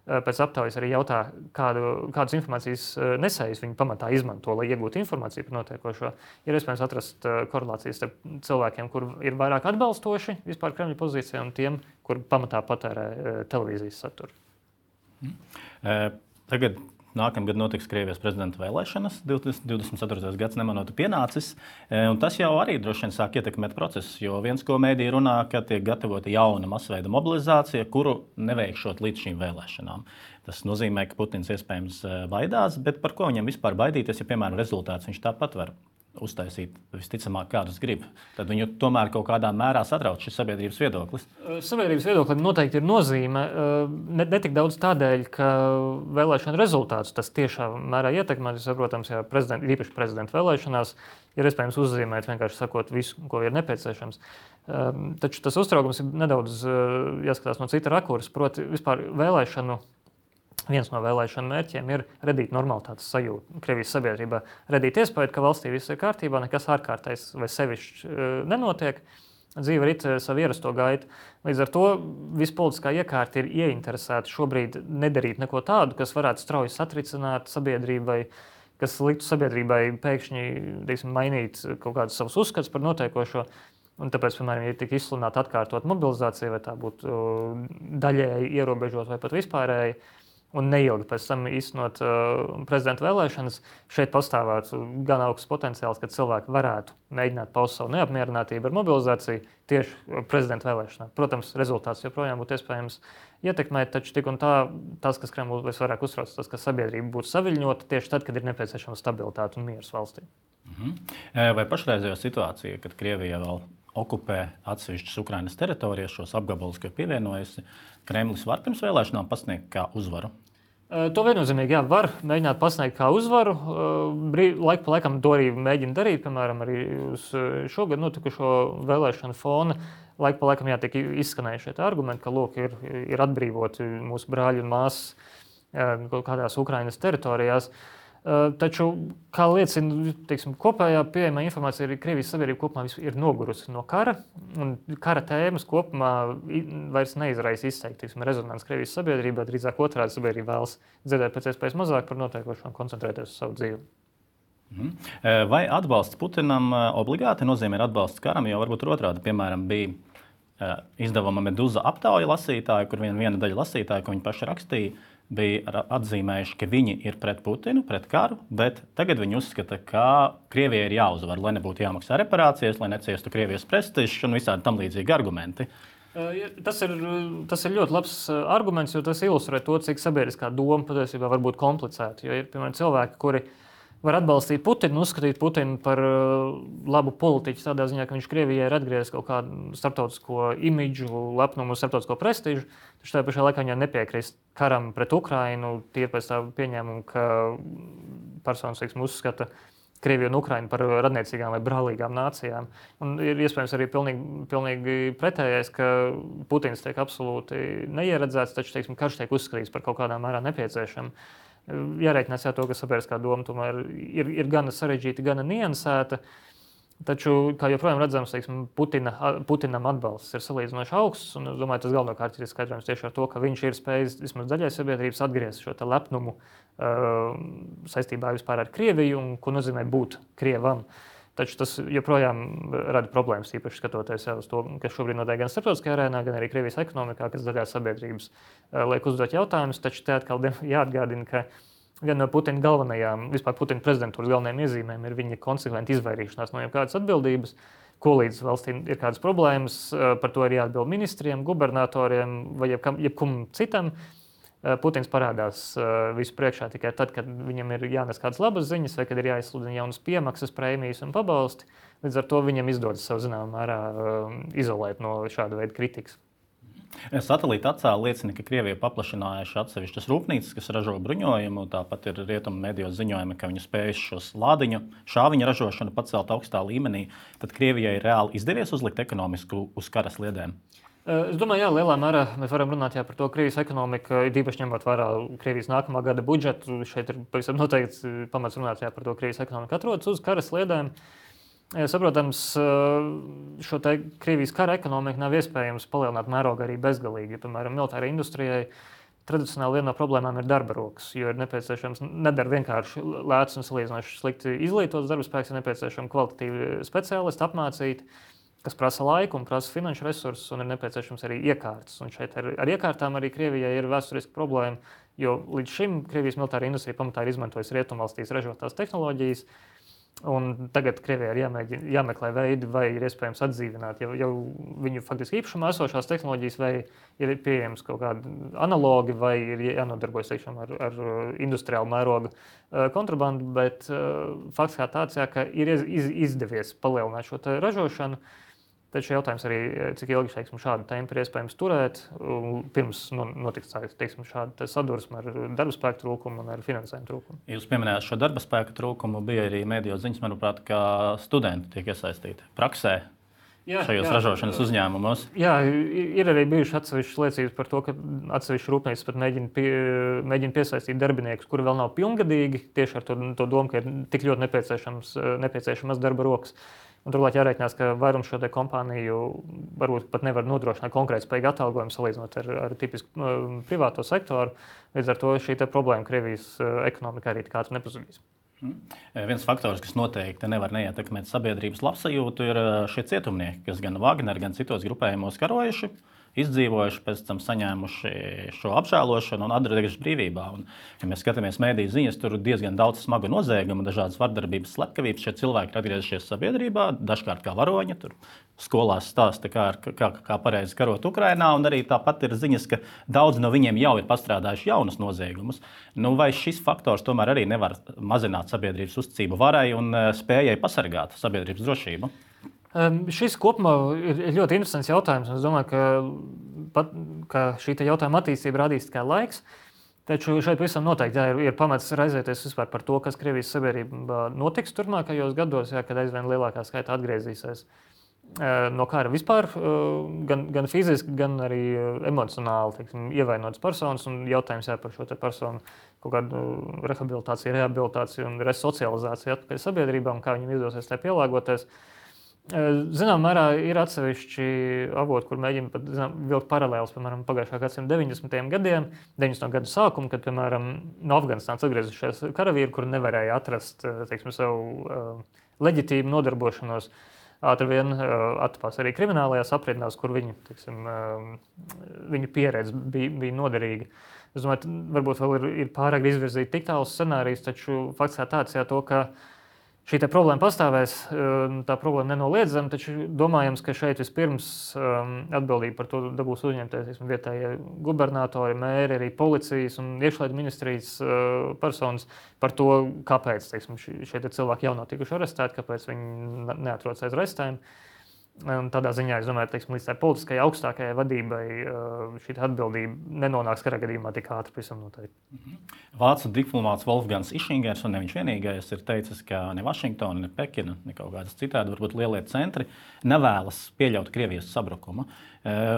pēc aptaujas arī jautā, kādu, kādas informācijas nesējus viņi pamatā izmanto, lai iegūtu informāciju par notiekošo. Ir iespējams atrast korelācijas starp cilvēkiem, kur ir vairāk atbalstoši vispār Kremļa pozīcijā, un tiem, kur pamatā patērē televīzijas saturu. Mm. Tagad nākamgad notiks Krievijas prezidenta vēlēšanas, divdesmit ceturtais gads nemanot pienācis, un tas jau arī droši vien sāk ietekmēt procesus, jo viens, ko mēdī runā, ka tiek gatavota jauna masveida mobilizācija, kuru neveikšot līdz šīm vēlēšanām. Tas nozīmē, ka Putins iespējams baidās, bet par ko viņam vispār baidīties, ja, piemēram, rezultāts viņš tāpat var uztaisīt visticamāk, kādus grib. Tad viņu tomēr kaut kādā mērā satrauc šis sabiedrības viedoklis. Sabiedrības viedoklim noteikti ir nozīme. Ne, ne tik daudz tādēļ, ka vēlēšana rezultātus tas tiešā mērā ietekmē. Saprotams, ja prezident, īpaši prezidenta vēlēšanās ir iespējams uzzīmēt, vienkārši sakot visu, ko ir nepieciešams. Taču tas uztraukums ir nedaudz jāskatās no cita rakursa. Proti, vispār vēlēšanu Viens no vēlēšanu mērķiem ir radīt normalitātes sajūtu Krievijas sabiedrībā, radīt iespēju, ka valstī viss ir kārtībā, nekas ārkārtais vai sevišķi nenotiek, dzīve rit savu ierasto gaitu. Līdz ar to visa politiskā iekārta ir ieinteresēta šobrīd nedarīt neko tādu, kas varētu strauji satricināt sabiedrībai, kas liktu sabiedrībai pēkšņi, teiksim, mainīt kaut kādus savus uzskats par notiekošo. Un tāpēc, piemēram, ja tik izsludināta atkārtot mobilizācija, vai tā būtu daļēji ierobežot vai pat vispārēji, un neilgi pēc tam īstenot uh, prezidenta vēlēšanas, šeit pastāvētu gan augsts potenciāls, ka cilvēki varētu mēģināt paust savu neapmierinātību ar mobilizāciju tieši prezidenta vēlēšanā. Protams, rezultāts joprojām būtu iespējams ietekmēt, taču tik un tā, tas, kas Kremlu visvairāk uztrauc, tas, ka sabiedrība būtu saviļņota tieši tad, kad ir nepieciešama stabilitāte un miers valstī. Mhm. Vai pašreizējā situācija, kad Krievija vēl okupē atsevišķas Ukrainas teritorijas, šos apgabalus, ko pievienojusi, Kremlis var pirms vēlēšanām pasniegt kā uzvaru? To viennozīmīgi jā, var mēģināt pasniegt kā uzvaru. Laik pa laikam to arī mēģina darīt, piemēram, arī uz šogad notikušo vēlēšanu fona. Laik pa laikam jā, tiek izskanējuši šie argumenti, ka lūk, ir, ir atbrīvoti mūsu brāļi un māsas kaut kādās Ukrainas teritorijās. Taču, kā liecina, teiksim, kopējā pieejamā informācija, arī Krievijas sabiedrība kopumā ir nogurusi no kara, un kara tēmas kopumā vairs neizraisa izteikti rezonanci Krievijas sabiedrībā, drīzāk otrādi sabiedrība vēlas dzirdēt pēc iespējas mazāk par notiekošo un koncentrēties uz savu dzīvi. Mhm. Vai atbalsts Putinam obligāti nozīmē atbalsts karam, jo varbūt otrādi, piemēram, bija izdevuma Meduza aptauja lasītāji, kur viena, viena daļa lasītāji, ko viņi paši rakstīja, bija atzīmējuši, ka viņi ir pret Putinu, pret karu, bet tagad viņi uzskata, ka Krievijai ir jāuzvar, lai nebūtu jāmaksā reparācijas, lai neciestu Krievijas prestižs un visādi tam līdzīgi argumenti. Tas ir, tas ir ļoti labs arguments, jo tas ilustrē to, cik sabiedriskā doma patiesībā var būt komplicēta. Jo ir, piemēram, cilvēki, kuri var atbalstīt Putinu, uzskatīt Putinu par labu politiķu tādā ziņā, ka viņš Krievijai ir atgriezis kaut kādu starptautisko imidžu, lepnumu, starptautisko prestižu, taču tajā pašā laikā viņai nepiekrist karam pret Ukrainu, tie pēc tā pieņēmumu, ka personas, teiksim, uzskata Krieviju un Ukrainu par radniecīgām vai brālīgām nācijām. Un ir iespējams arī pilnīgi, pilnīgi pretējais, ka Putins tiek absolūti neieredzēts, taču, teiksim, karš tiek uzskatīts par kaut kādā mērā nepieciešamu. Jārēķinās jā to, ka sabiedriskā doma tomēr ir, ir gana sarežģīta, gana niansēta. Taču, kā joprojām redzams, teiksim, Putina, Putinam atbalsts ir salīdzinoši augsts. Un, es domāju, tas galvenokārt ir skaidrojams tieši ar to, ka viņš ir spējis vismaz daļai sabiedrības atgriezt šo lepnumu uh, saistībā vispār ar Krieviju un ko nozīmē būt Krievam. Taču tas joprojām rada problēmas, īpaši skatoties uz to, kas šobrīd notiek gan starptautiskajā arēnā, gan arī Krievijas ekonomikā, kas daļā sabiedrības uh, liek uzdot jautājumus. Taču te atkal jāatgādina, ka viena no Putina galvenajām, vispār Putina prezidentūras galvenajām iezīmēm ir viņa konsekventa izvairīšanās no jebkādas atbildības, ko līdz valstīm ir kādas problēmas, par to ir jāatbild ministriem, gubernatoriem vai jebkam, jebkum citam. Putins parādās visu priekšā tikai tad, kad viņam ir jānes kādas labas ziņas vai kad ir jāizsludina jaunas piemaksas, prēmijas un pabalsti. Līdz ar to viņam izdodas savu zināmā mērā izolēt no šāda veida kritikas. Satelīta attēli liecina, ka Krievija paplašinājuši atsevišķas rūpnīcas, kas ražo bruņojumu. Tāpat ir rietumu medijos ziņojumi, ka viņi spējuši šos lādiņu, šāviņu ražošanu pacelt augstā līmenī. Tad Krievijai reāli izdevies uzlikt ekonomisku uz kara sliedēm? Es domāju, jā, lielā mērā mēs varam runāt jā, par to Krievijas ekonomiku, īpaši ņemot vērā Krievijas nākamā gada budžetu. Šeit ir pavisam noteikts pamats runāt jā, par to Krievijas ekonomiku atrodas uz kara sliedēm. Saprotams, šo te Krievijas kara ekonomiku nav iespējams palielināt mērogu arī bezgalīgi. Piemēram, militārai industrijai tradicionāli viena no problēmām ir darba rokas, jo ir nepieciešams nedara vienkārši lēts un salīdzinoši slikti izglītots darba spēks, ir nepieciešami kvalitatīvi speciālisti apmācīti, kas prasa laiku un prasa finanšu resursus, un ir nepieciešams arī iekārtas. Un šeit ar, ar iekārtām arī Krievijai ir vēsturiska problēma, jo līdz šim Krievijas militāra industrija pamatā ir izmantojusi rietumvalstīs ražotās tehnoloģijas. Un tagad Krievijai ir jāmēģina, jāmeklē veidi, vai ir iespējams atdzīvināt jau, jau viņu faktiski īpašumā esošās tehnoloģijas, vai ir pieejams kaut kādi analogi, vai ir jānodarbojas teikšam, ar, ar industriālu mērogu kontrabandu. Bet fakts kā tāds, jā, ka ir iz, izdevies palielināt šo ražošanu. Taču jautājums arī, cik ilgi teiksim, šādu tempu ir iespējams turēt, pirms notiks teiksim, šāda sadursme ar darba spēku trūkumu un ar finansējumu trūkumu. Jūs pieminējāt šo darba spēku trūkumu, bija arī mediju ziņas, manuprāt, ka studenti tiek iesaistīti praksē jā, šajos jā, ražošanas uzņēmumos. Jā, ir arī bijušas atsevišķas liecības par to, ka atsevišķas rūpnīcas pat mēģina, pie, mēģina piesaistīt darbiniekus, kuri vēl nav pilngadīgi, tieši ar to, to domu, ka ir tik ļoti nepieciešams, nepieciešamas darba rokas. Un turklāt jārēķinās, ka vairums šo kompāniju varbūt pat nevar nodrošināt konkrēti spējīgu atalgojumu salīdzinot ar, ar tipisku uh, privāto sektoru. Līdz ar to šī problēma Krievijas uh, ekonomikā arī tik ātri nepazudīs. Mm. Viens faktors, kas noteikti nevar neietekmēt sabiedrības labsajūtu, ir šie cietumnieki, kas gan Wagner, gan citos grupējumos karojuši, izdzīvojuši, pēc tam saņēmuši šo apžēlošanu un atgriezušies brīvībā. Un, ja mēs skatāmies mēdīju ziņas, tur ir diezgan daudz smagu noziegumu, dažādas vardarbības, slepkavības. Šie cilvēki ir atgriezušies sabiedrībā, dažkārt kā varoņi. Tur skolās stāsta, kā, kā, kā pareizi karot Ukrainā, un arī tāpat ir ziņas, ka daudz no viņiem jau ir pastrādājuši jaunus noziegumus. Nu, vai šis faktors tomēr arī nevar mazināt sabiedrības uzticību varai un spējai pasargāt sabiedrības drošību? Um, šis kopumā ir ļoti interesants jautājums. Es domāju, ka, pat, ka šī jautājuma attīstība radīs tikai laiks. Taču šeit visam noteikti jā, ir, ir pamats raizēties vispār par to, kas Krievijas sabiedrībā notiks turpmākajos gados, jā, kad aizvien lielākā skaita atgriezīsies uh, no kara vispār, uh, gan, gan fiziski, gan arī emocionāli teiksim, ievainotas personas. Un jautājums jā, par šo personu kaut kādu rehabilitāciju, rehabilitāciju un resocializāciju atpakaļ sabiedrībā un kā viņam izdosies tai pielāgoties. Zinām, mērā ir atsevišķi avoti, kur mēģina pat zinām, vilkt paralēlus, piemēram, pagājušā gadsimta deviņdesmitajiem gadiem, deviņdesmito gadu sākumu, kad, piemēram, no Afganistānas atgriezušies karavīri, kuri nevarēja atrast, teiksim, savu uh, leģitīmu nodarbošanos. Ātri vien uh, atpās arī kriminālajās aprindās, kur viņu, teiksim, uh, viņu pieredze bija, bija noderīga. Es domāju, varbūt vēl ir, ir pārāk izvirzīt tik tālus scenārijus, taču fakts kā tāds, jā, to, ka šī problēma pastāvēs, tā problēma nenoliedzama, taču domājams, ka šeit vispirms um, atbildība par to dabūs uzņemties vietējie gubernatori, mēri, arī policijas un iekšlietu ministrijas uh, personas par to, kāpēc teiksim, šie cilvēki jau nav tikuši arestēti, kāpēc viņi neatrodas aiz arestēm. Un tādā ziņā, es domāju, teiksim, līdz tā politiskajai augstākajai vadībai šī atbildība nenonāks karā gadījumā tik ātri, pavisam noteikti. Vācu diplomāts Wolfgangs Ischingers, un ne viņš vienīgais, ir teicis, ka ne Vašingtona, ne Pekina, ne kaut kādas citādi, varbūt lielie centri, nevēlas pieļaut Krievijas sabrukumu.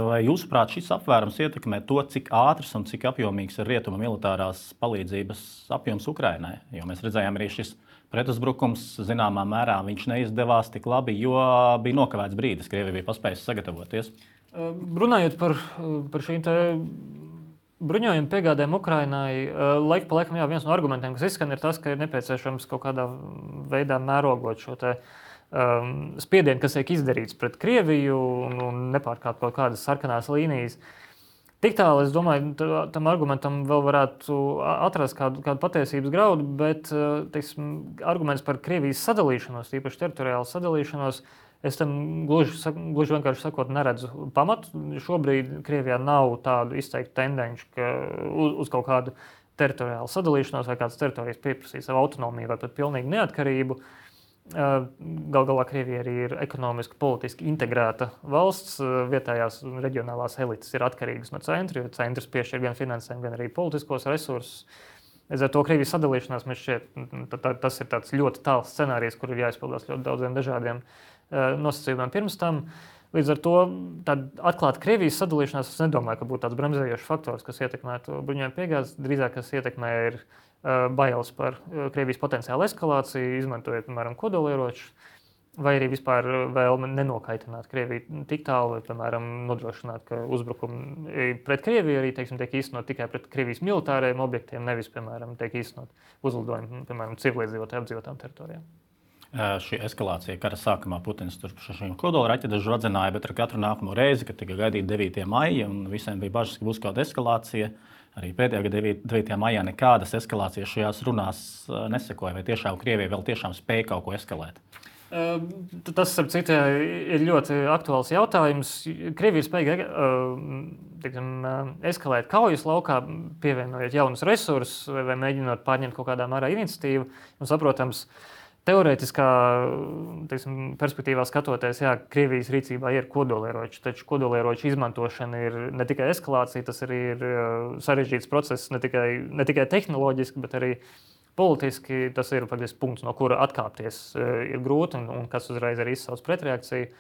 Vai jūsuprāt, šis apvērums ietekmē to, cik ātrs un cik apjomīgs ir rietuma militārās palīdzības apjoms Ukrainai? Jo mēs redzējām arī šis pretuzbrukums, zināmā mērā viņš neizdevās tik labi, jo bija nokavēts brīdis, Krievija bija paspējusi sagatavoties. Runājot par, par šīm te bruņojumu piegādēm Ukrainai, laika pa laikam jā, viens no argumentiem, kas izskan, ir tas, ka ir nepieciešams kaut kādā veidā mērogot šo te um, spiedienu, kas tiek izdarīts pret Krieviju un, un nepārkāpt kaut kādas sarkanās līnijas. Tik tālu, es domāju, tam argumentam vēl varētu atrast kādu, kādu patiesības graudu, bet teiksim, arguments par Krievijas sadalīšanos, īpaši teritoriālu sadalīšanos, es tam gluži, gluži vienkārši sakot neredzu pamatu. Šobrīd Krievijā nav tādu izteiktu tendenci, ka uz, uz kaut kādu teritoriālu sadalīšanos vai kādas teritorijas pieprasīt savu autonomiju vai pat pilnīgu neatkarību. Gal galā Krievija arī ir ekonomiski, politiski integrēta valsts. Vietējās reģionālās elites ir atkarīgas no centra, jo centrs piešķir gan finansējumu, gan arī politiskos resursus. Līdz ar to Krievijas sadalīšanās mēs šķiet, tas ir tāds ļoti tāls scenārijs, kur ir jāizpildās ļoti daudziem dažādiem nosacījumiem pirms tam. Līdz ar to atklāt Krievijas sadalīšanās, es nedomāju, ka būtu tāds bremzējošs faktors, kas ietekmētu bruņojumu piegādes. Drīzāk, kas ietekmē, ir bailes par Krievijas potenciālu eskalāciju, izmantojot, piemēram, kodolieročus, vai arī vispār vēlme nenokaitināt Krieviju tik tālu, vai, piemēram, nodrošināt, ka uzbrukumi pret Krieviju arī, teiksim, tiek īstenot tikai pret Krievijas militārajiem objektiem, nevis, piemēram, tiek īstenot uzlidojumi, piemēram, civilizējotai apdzīvotām teritorijām. Šī eskalācija kara sākumā Putins tur šīm kodola raķešu radzināja, bet ar katru nākamo reizi, kad tika gaidīta devītā maija, un visiem bija bažas, ka būs kāda eskalācija, arī pēdējā gada devītajā maijā nekādas eskalācijas šajās runās nesekoja. Vai tiešām Krievija vēl tiešām spēja kaut ko eskalēt? Tas, starp citu, ir ļoti aktuāls jautājums. Krievija spēja tiksim, eskalēt kaujas laukā, pievienojot jaunus resursus vai mēģinot pārņemt kaut kādā mērā iniciatīvu. Un, saprotams, teorētiskā teiksim, perspektīvā skatoties, jā, Krievijas rīcībā ir kodolieroči, taču kodolieroču izmantošana ir ne tikai eskalācija, tas arī ir sarežģīts process, ne tikai, ne tikai tehnoloģiski, bet arī politiski. Tas ir patiesi punkts, no kura atkāpties ir grūti un, un kas uzreiz arī izsauc pretreakciju.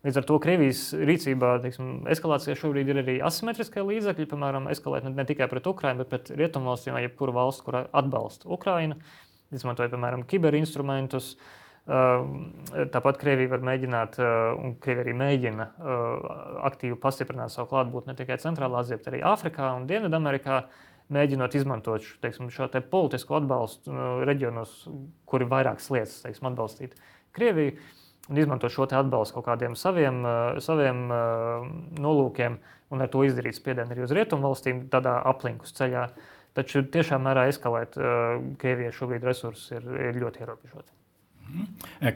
Līdz ar to Krievijas rīcībā teiksim, eskalācijā šobrīd ir arī asimetriskie līdzekļi, piemēram, eskalēt ne, ne tikai pret Ukrainu, bet pret rietumvalstīm vai jebkuru valstu, kura atbalsta Ukrainu. Izmantoja, piemēram, kiberinstrumentus. Tāpat Krievija var mēģināt, un Krievija arī mēģina aktīvi pastiprināt savu klātbūtni ne tikai Centrālā Azijā, bet arī Āfrikā un Dienvidamerikā, mēģinot izmantot teiksim, šo te politisko atbalstu reģionos, kuri vairākas lietas teiksim, atbalstīt Krieviju, un izmantot šo te atbalstu kaut kādiem saviem, saviem nolūkiem, un ar to izdarīt spiedienu arī uz rietumvalstīm tādā aplinkus ceļā. Taču tiešām mērā eskalēt Krievijai šobrīd resursus ir, ir ļoti ierobežoti.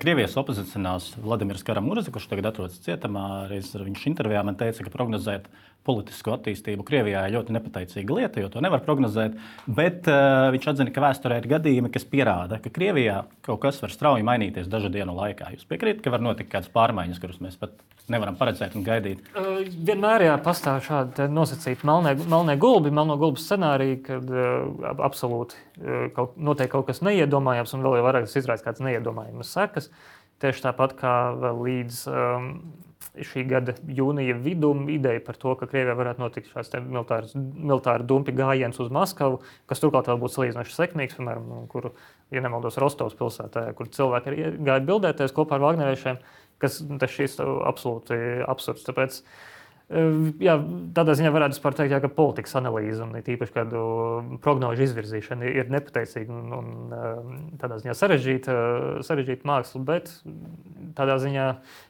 Krievijas opozicionāls Vladimirs Karamurza, kurš tagad atrodas cietumā, reiz viņš intervijā man teica, ka prognozēt politisku attīstību Krievijā ir ļoti nepateicīga lieta, jo to nevar prognozēt, bet uh, viņš atzina, ka vēsturē ir gadījumi, kas pierāda, ka Krievijā kaut kas var strauji mainīties dažu dienu laikā. Jūs piekrītat, ka var notikt kādas pārmaiņas, kuras mēs pat nevaram paredzēt un gaidīt? Uh, vienmēr jā, pastāv šādi nosacīti melnie, melnie gulbi, melno gulbu scenāriji, kad uh, absolūti uh, kaut, notiek kaut kas neiedomājams un vēl jau vairāk tas izraisa kāds neiedomājamas sekas. Tieši tāpat kā vēl līdz um, šī gada jūnija vidum ideja par to, ka Krievijā varētu notikt šāds militārs, militāri dumpi gājiens uz Maskavu, kas turklāt vēl būtu salīdzinoši sekmīgs, piemēram, kur, ja nemaldos, Rostovas pilsētā, kur cilvēki arī gāja bildēties kopā ar Vagneriešiem, kas tas šīs absolūti absurds. Tāpēc, jā, tādā ziņā varētu vispār teikt, jā, ka politikas analīze un tīpaši kādu prognožu izvirzīšana ir nepateicīga un, un tādā ziņā sarežģīta, sarežģīta māksla, bet tādā ziņā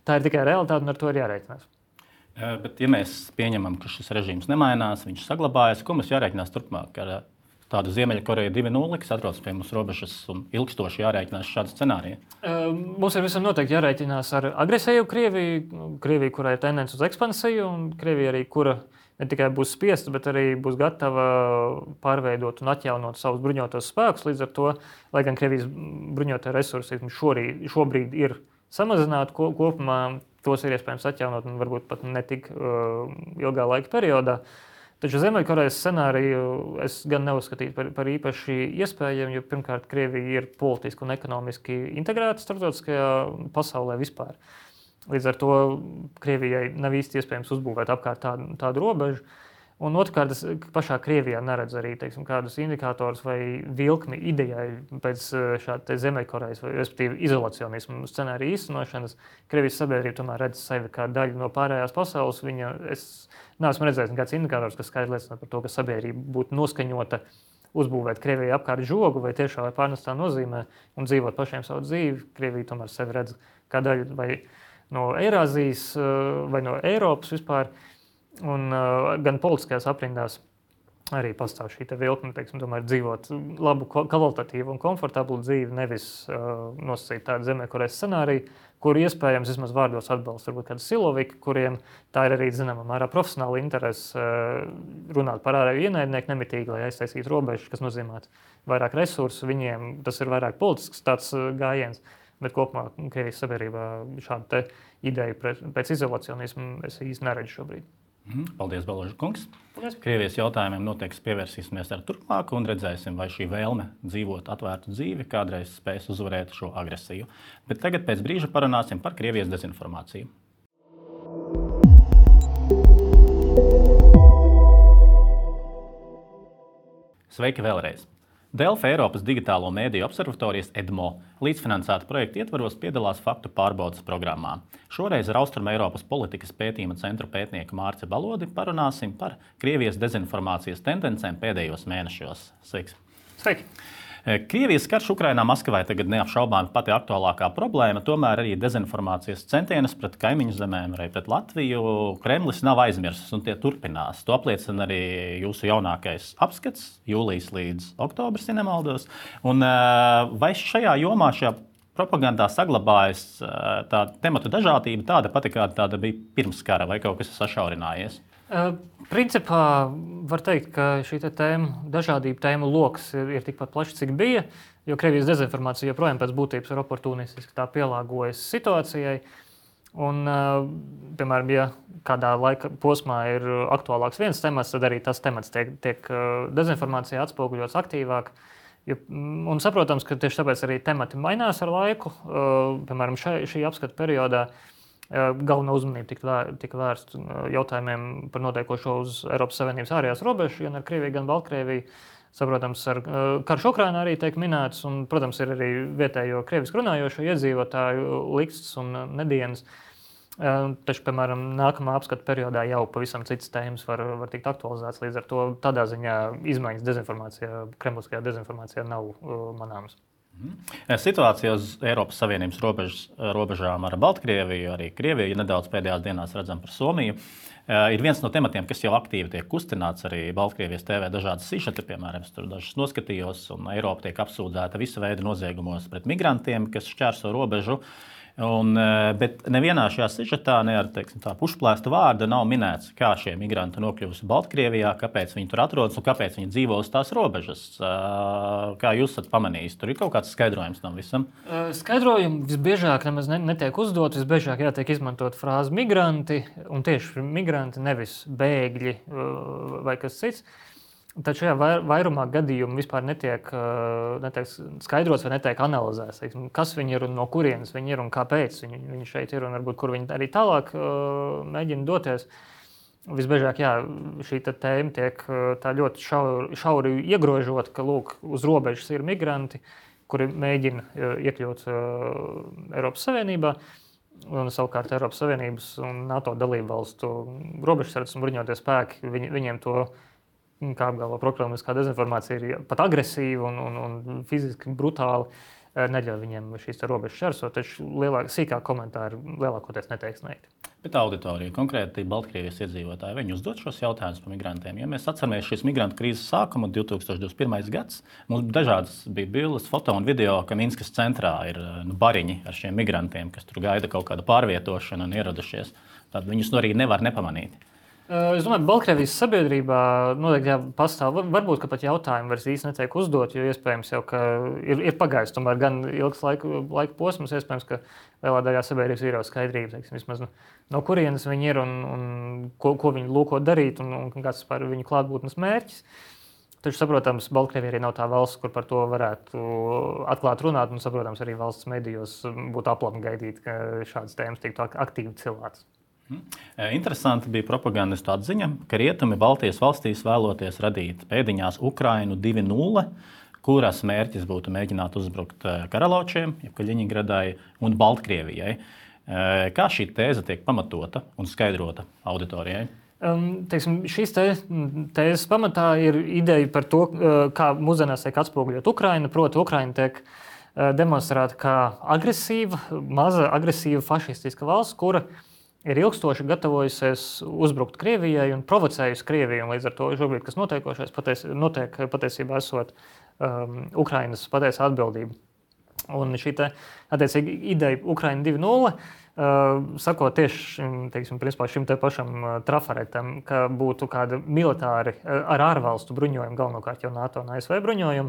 tā ir tikai realitāte un ar to ir jārēķinās. Bet ja mēs pieņemam, ka šis režīms nemainās, viņš saglabājas, ko mums jārēķinās turpmāk ar tādu Ziemeļkoreju divi nulle, kas atrodas pie mums robežas un ilgstoši jārēķinās šādu scenāriju? Mums ir visam noteikti jārēķinās ar agresīvu Krieviju, Krieviju, kurai ir tendence uz ekspansiju, un Krievija arī, kura ne tikai būs spiesta, bet arī būs gatava pārveidot un atjaunot savus bruņotos spēkus. Līdz ar to, lai gan Krievijas bruņotie resursi šorī, šobrīd ir samazināti kopumā, tos ir iespējams atjaunot un varbūt pat ne tik uh, ilgā laika periodā. Taču Ziemeļkorejas scenāriju es gan neuzskatītu par, par īpaši iespējamu, jo pirmkārt Krievija ir politiski un ekonomiski integrēta starptautiskajā pasaulē vispār. Līdz ar to Krievijai nav īsti iespējams uzbūvēt apkārt tādu, tādu robežu. Un otrkārt, es pašā Krievijā neredzu arī teiksim, kādus indikātorus vai vilkmi idejai pēc šāda Ziemeļkorejas vai respektīvi izolacionismu scenārija īstenošanas. Krievijas sabiedrība tomēr redz sevi kā daļu no pārējās pasaules. Viņa, es neesmu redzējis nekāds indikators, kas skaidri liecina par to, ka sabiedrība būtu noskaņota uzbūvēt Krievijai apkārt žogu vai tiešā vai pārnestā nozīmē un dzīvot pašiem savu dzīvi. Krievija tomēr sevi redz kā daļu vai no Eirāzijas vai no Eiropas vispār. Un uh, gan politiskajās aprindās arī pastāv šī vilkme, teiksim, tomēr dzīvot labu, kvalitatīvu un komfortablu dzīvi, nevis uh, nosacīt tādu Ziemeļkorejas scenāriju, kur iespējams vismaz vārdos atbalsta varbūt kādu siloviki, kuriem tā ir arī zināmā mērā profesionāla interese uh, runāt par ārēju ienaidnieku nemitīgi, lai aiztaisītu robežas, kas nozīmē vairāk resursu. Viņiem tas ir vairāk politisks tāds uh, gājiens, bet kopumā Krievijas sabiedrībā šādu te ideju pēc izolacionismu es īsti neredzu šobrīd. Paldies, Baloža kungs. Paldies. Krievijas jautājumiem noteikti pievērsīsimies ar turpmāk un redzēsim, vai šī vēlme dzīvot atvērtu dzīvi kādreiz spēs uzvarēt šo agresiju. Bet tagad pēc brīža parunāsim par Krievijas dezinformāciju. Sveiki vēlreiz! Delfi Eiropas digitālo mēdīju observatorijas EDMO līdzfinansēta projekta ietvaros piedalās faktu pārbaudes programmā. Šoreiz ar Austruma Eiropas politikas pētījuma centru pētnieku Mārci Balodi parunāsim par Krievijas dezinformācijas tendencēm pēdējos mēnešos. Sveiks! Sveiki! Krievijas karš Ukrainā Maskavai tagad neapšaubāmi pati aktuālākā problēma, tomēr arī dezinformācijas centienus pret kaimiņu zemēm, arī pret Latviju Kremlis nav aizmirsis un tie turpinās. To apliecina arī jūsu jaunākais apskats, jūlijas līdz oktobris, ja nemaldos. Un vai šajā jomā, šajā propagandā saglabājas tā tematu dažādība tāda pati, kāda tāda bija pirms kara, vai kaut kas ir sašaurinājies? Uh, principā var teikt, ka šī tēma, dažādība tēmu loks ir, ir tikpat plašs, cik bija, jo Krievijas dezinformācija joprojām pēc būtības ir oportunistiski, tā pielāgojas situācijai. Un, uh, piemēram, ja kādā laika posmā ir aktuālāks viens temats, tad arī tas temats tiek, tiek dezinformācijā atspoguļots aktīvāk. Jo, un saprotams, ka tieši tāpēc arī temati mainās ar laiku. Uh, piemēram, šai, šī apskata periodā galvenā uzmanība tika, tika vērsta jautājumiem par notiekošo uz Eiropas Savienības ārējās robežas, gan ar Krieviju, gan Baltkrieviju. Saprotams, ar karš Ukrainā arī tiek minēts, un, protams, ir arī vietējo krievisku runājošo iedzīvotāju liksts un nedienas. Taču, piemēram, nākamā apskata periodā jau pavisam citas tēmas var, var tikt aktualizētas. Līdz ar to tādā ziņā izmaiņas dezinformācijā, kremliskajā dezinformācijā nav uh, manāmas. Situācija uz Eiropas Savienības robežas, robežām ar Baltkrieviju, arī Krieviju, nedaudz pēdējās dienās redzam par Somiju, ir viens no tematiem, kas jau aktīvi tiek kustināts. Arī Baltkrievijas T V dažādas sižeti, piemēram, es tur dažas noskatījos, un Eiropa tiek apsūdzēta visa veida noziegumos pret migrantiem, kas šķērso robežu. Un, bet nevienā šajā sižetā, ne ar teiksim, tā pušplēsta vārda nav minēts, kā šie migranti nokļuvusi Baltkrievijā, kāpēc viņi tur atrodas un kāpēc viņi dzīvo uz tās robežas. Kā jūs esat pamanījis? Tur ir kaut kāds skaidrojums tam visam? Skaidrojumi visbiežāk nemaz netiek uzdot. Visbiežāk jātiek izmantot frāzi migranti, un tieši migranti, nevis bēgļi vai kas cits. Taču šajā vairumā gadījumu vispār netiek, netiek skaidrots vai netiek analizēts, kas viņi ir un no kurienes viņi ir un kāpēc viņi, viņi šeit ir un varbūt kur viņi arī tālāk mēģina doties. Visbiežāk jā, šī tēma tiek tā ļoti šauri, šauri iegrožota, ka lūk, uz robežas ir migranti, kuri mēģina iekļūt Eiropas Savienībā. Un savukārt Eiropas Savienības un NATO dalību valstu robežsardzes un bruņotie spēki, viņi, viņiem to kā apgalvo prokremliskā dezinformācija ir pat agresīva un, un, un fiziski brutāli, neļauj viņiem šīs robežas šķērsot, taču lielāk, sīkāk komentāri lielākoties neteiks neiti. Bet auditorija, konkrēti Baltkrievijas iedzīvotāji, viņi uzdod šos jautājumus par migrantiem. Ja mēs atceramies šīs migrantu krīzes sākumu, divtūkstoš divdesmit pirmais gads, mums dažādas bija bildes, foto un video, ka Minskas centrā ir nu, bariņi ar šiem migrantiem, kas tur gaida kaut kādu pārvietošanu un ieradušies. Tad viņus nu arī nevar nepamanīt. Es domāju, ka Baltkrievijas sabiedrībā noteikti jā, pastāv. Varbūt, ka pat jautājumi vairs īsti netiek uzdot, jo iespējams jau, ka ir, ir pagājis tomēr gan ilgs laika, laika posms, iespējams, ka lielā daļā sabiedrības ir jau skaidrība, teiksim, vismaz no, no kurienes viņi ir un, un ko, ko viņi lūko darīt un, un kāds par viņu klātbūtnes mērķis. Taču, saprotams, Baltkrievija arī nav tā valsts, kur par to varētu atklāt runāt, un, saprotams, arī valsts medijos būtu aplami gaidīt, ka šādas tēmas tiktu aktīvi cilātas. Interesanti bija propagandistu atziņa, ka rietumi Baltijas valstīs vēloties radīt pēdiņās Ukrainu divi nulle, kuras mērķis būtu mēģināt uzbrukt Karaločiem, jeb Kaļiņingradai un Baltkrievijai. Kā šī tēze tiek pamatota un skaidrota auditorijai? Um, teiksim, šīs te, tēzes pamatā ir ideja par to, kā mūsdienās tiek atspoguļot Ukraina. Proti, Ukraina tiek demonstrēta kā agresīva, maza agresīva fašistiska valsts, kura ir ilgstoši gatavojusies uzbrukt Krievijai un provocējusi Krieviju. Un līdz ar to šobrīd, kas notiekošais, paties, notiek patiesībā esot um, Ukrainas patiesa atbildība. Un šī te, attiecīgi, ideja Ukraina divi nulle Uh, sakot tieši teiksim, šim te pašam uh, trafaretam, ka būtu kāda militāri uh, ar ārvalstu bruņojumu, galvenokārt jau NATO un A S V bruņojumu,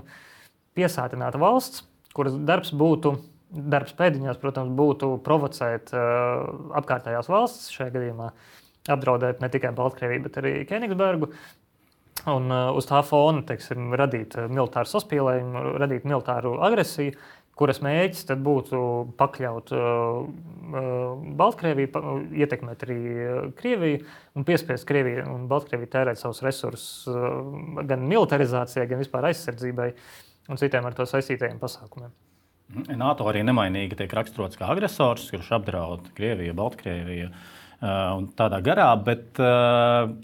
piesātināta valsts, kuras darbs būtu, darbs pēdiņās, protams, būtu provocēt uh, apkārtējās valsts, šajā gadījumā apdraudēt ne tikai Baltkrieviju, bet arī Kenigsbergu. Un uh, uz tā fona, teiksim, radīt militāru saspīlējumu, radīt militāru agresiju, kuras mērķis tad būtu pakļaut uh, Baltkrieviju, pa, ietekmēt arī Krieviju un piespiest Krieviju un Baltkrieviju tērēt savus resursus uh, gan militarizācijai, gan vispār aizsardzībai un citiem ar to saistītajiem pasākumiem. NATO arī nemainīgi tiek raksturots kā agresors, kurš apdraud Krieviju, Baltkrieviju un tādā garā, bet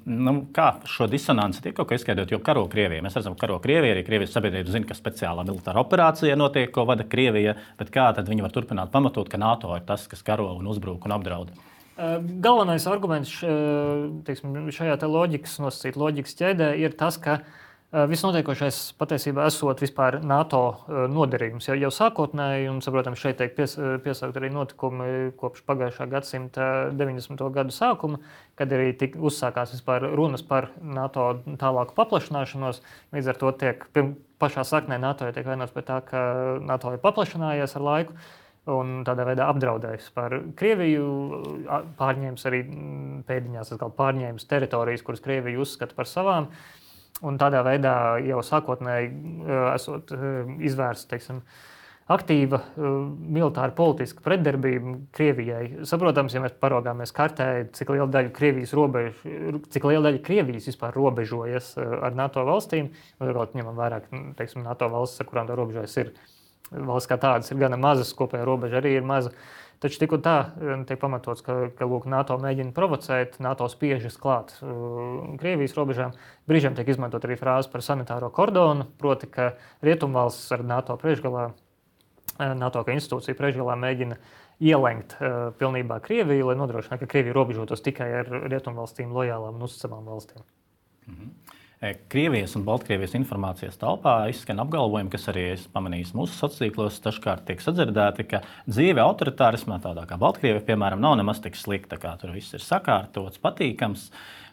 nu, kā šo disonanci tiek kaut kā izskaidrot, jo karo Krievija. Mēs redzam, ka karo Krievija, arī Krievijas sabiedrība zina, ka speciālā militāra operācija notiek, ko vada Krievija, bet kā tad viņi var turpināt pamatot, ka NATO ir tas, kas karo un uzbrūk un apdraud? Galvenais arguments teiksim, šajā te loģikas, nosacīt loģikas ķēdē ir tas, ka viss notiekošais patiesībā esot vispār NATO noderījums. Jau, jau sākotnēji, un, saprotams, šeit tiek pies, piesaukt arī notikumi kopš pagājušā gadsimta deviņdesmito gadu sākuma, kad arī tik uzsākās vispār runas par NATO tālāku paplašināšanos. Līdz ar to tiek pašā saknē NATO tiek vainots pie tā, ka NATO ir paplašinājies ar laiku un tādā veidā apdraudējis par Krieviju, pārņēmis arī pēdiņās, atkal pārņēmis teritorijas, kuras Krievija uzskata par savām. Un tādā veidā jau sākotnēji esot izvērsta, teiksim, aktīva militāra politiska pretdarbība Krievijai. Saprotams, ja mēs paraugāmies kartē, cik liela daļa Krievijas robežu, cik liela daļa Krievijas vispār robežojas ar NATO valstīm, un ņemam vairāk, teiksim, NATO valstis, ar kurām tā robežojas ir valsts kā tādas, ir gana mazas, kopējā robeža arī ir maza. Taču tik un tā tiek pamatots, ka, ka lūk, NATO mēģina provocēt, NATO spiežas klāt uh, Krievijas robežām. Brīžiem tiek izmantot arī frāze par sanitāro kordonu, proti, ka Rietumvalstis ar NATO priekšgalā, NATO kā institūcija priekšgalā mēģina ielenkt uh, pilnībā Krieviju, lai nodrošinātu, ka Krievija robežotos tikai ar Rietumvalstīm lojālām un uzticamām valstīm. Mhm. Krievijas un Baltkrievijas informācijas telpā izskan apgalvojumi, kas arī es pamanīju mūsu sociālos tīklos, dažkārt tiek sadzirdēti, ka dzīve autoritārismā, tādā kā Baltkrievija, piemēram, nav nemaz tik slikta, kā tur viss ir sakārtots, patīkams.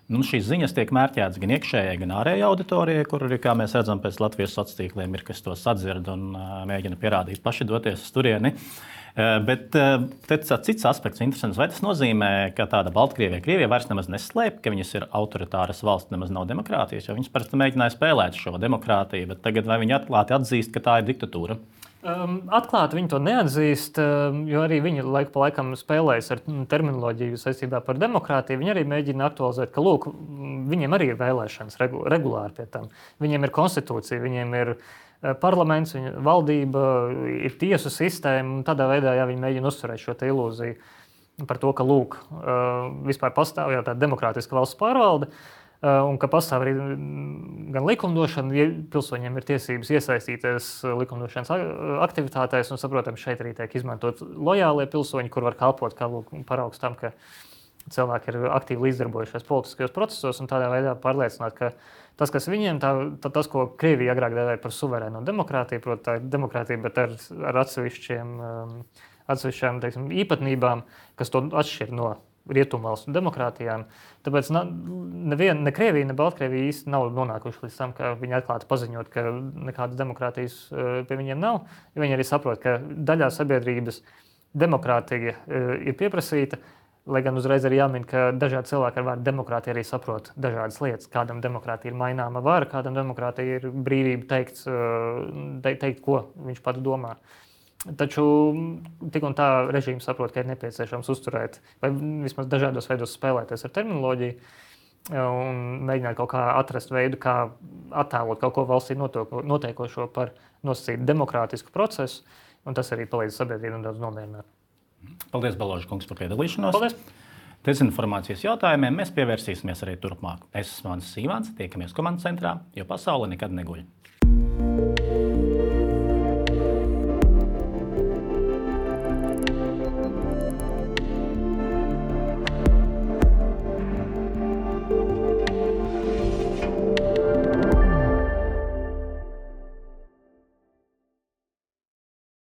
Nu, šīs ziņas tiek mērķētas gan iekšējai, gan ārējai auditorijai, kur arī, kā mēs redzam, pēc Latvijas sociālos tīkliem ir, kas to sadzird un uh, mēģina pierādīt paši doties uz turieni. Uh, bet uh, cits aspekts interesants. Vai tas nozīmē, ka tāda Baltkrievija, Krievija vairs nemaz neslēp, ka viņas ir autoritāras valsts, nemaz nav demokrātijas, jo viņas parasti mēģināja spēlēt šo demokrātiju, bet tagad vai viņi atklāti atzīst, ka tā ir diktatūra? Um, atklāti viņi to neatzīst, um, jo arī viņi laiku pa laikam spēlējas ar terminoloģiju saistībā par demokrātiju. Viņi arī mēģina aktualizēt, ka lūk, viņiem arī ir vēlēšanas regu, regulāri pie tam. Viņiem ir konstitūcija, viņiem ir parlaments, viņa valdība, ir tiesu sistēma, un tādā veidā jā, viņi mēģina uzturēt šo te ilūziju par to, ka lūk, uh, vispār pastāv jau tāda demokrātiska valsts pārvalde, un ka pastāv arī gan likumdošana, ja pilsoņiem ir tiesības iesaistīties likumdošanas aktivitātēs, un, saprotams, šeit arī tiek izmantot lojālie pilsoņi, kur var kalpot kā lūk, paraugs tam, ka cilvēki ir aktīvi līdzdarbojušies politiskajos procesos un tādā veidā pārliecināt, ka tas, kas viņiem, tā, tā, tas, ko Krievija agrāk dēvēja par suverēno demokrātiju, proti, tā ir demokrātija, bet ar, ar atsevišķiem, atsevišķām, teiksim, īpatnībām, kas to atšķir no rietumvalstu demokrātijām. Tāpēc neviena, ne Krievija, ne Baltkrievija īsti nav nonākuši līdz tam, ka viņi atklāti paziņot, ka nekādas demokrātijas pie viņiem nav. Ja viņi arī saprot, ka daļā sabiedrības demokrātija ir pieprasīta, lai gan uzreiz arī jāmin, ka dažādi cilvēki ar vārdu demokrātija arī saprot dažādas lietas. Kādam demokrātija ir maināma vara, kādam demokrātija ir brīvība teikt, teikt ko viņš pats domā. Taču tik un tā režīms saprot, ka ir nepieciešams uzturēt vai vismaz dažādos veidos spēlēties ar terminoloģiju un mēģināt kaut kā atrast veidu, kā attēlot kaut ko valstī notiekošo par nosacītu demokrātisku procesu, un tas arī palīdz sabiedrību nedaudz nomierināt. Paldies, Baloža kungs, par piedalīšanos. Paldies! Dezinformācijas jautājumiem mēs pievērsīsimies arī turpmāk. Es esmu Mānis Sīvāns, tiekamies komandas centrā, jo pasaule nekad neguļ.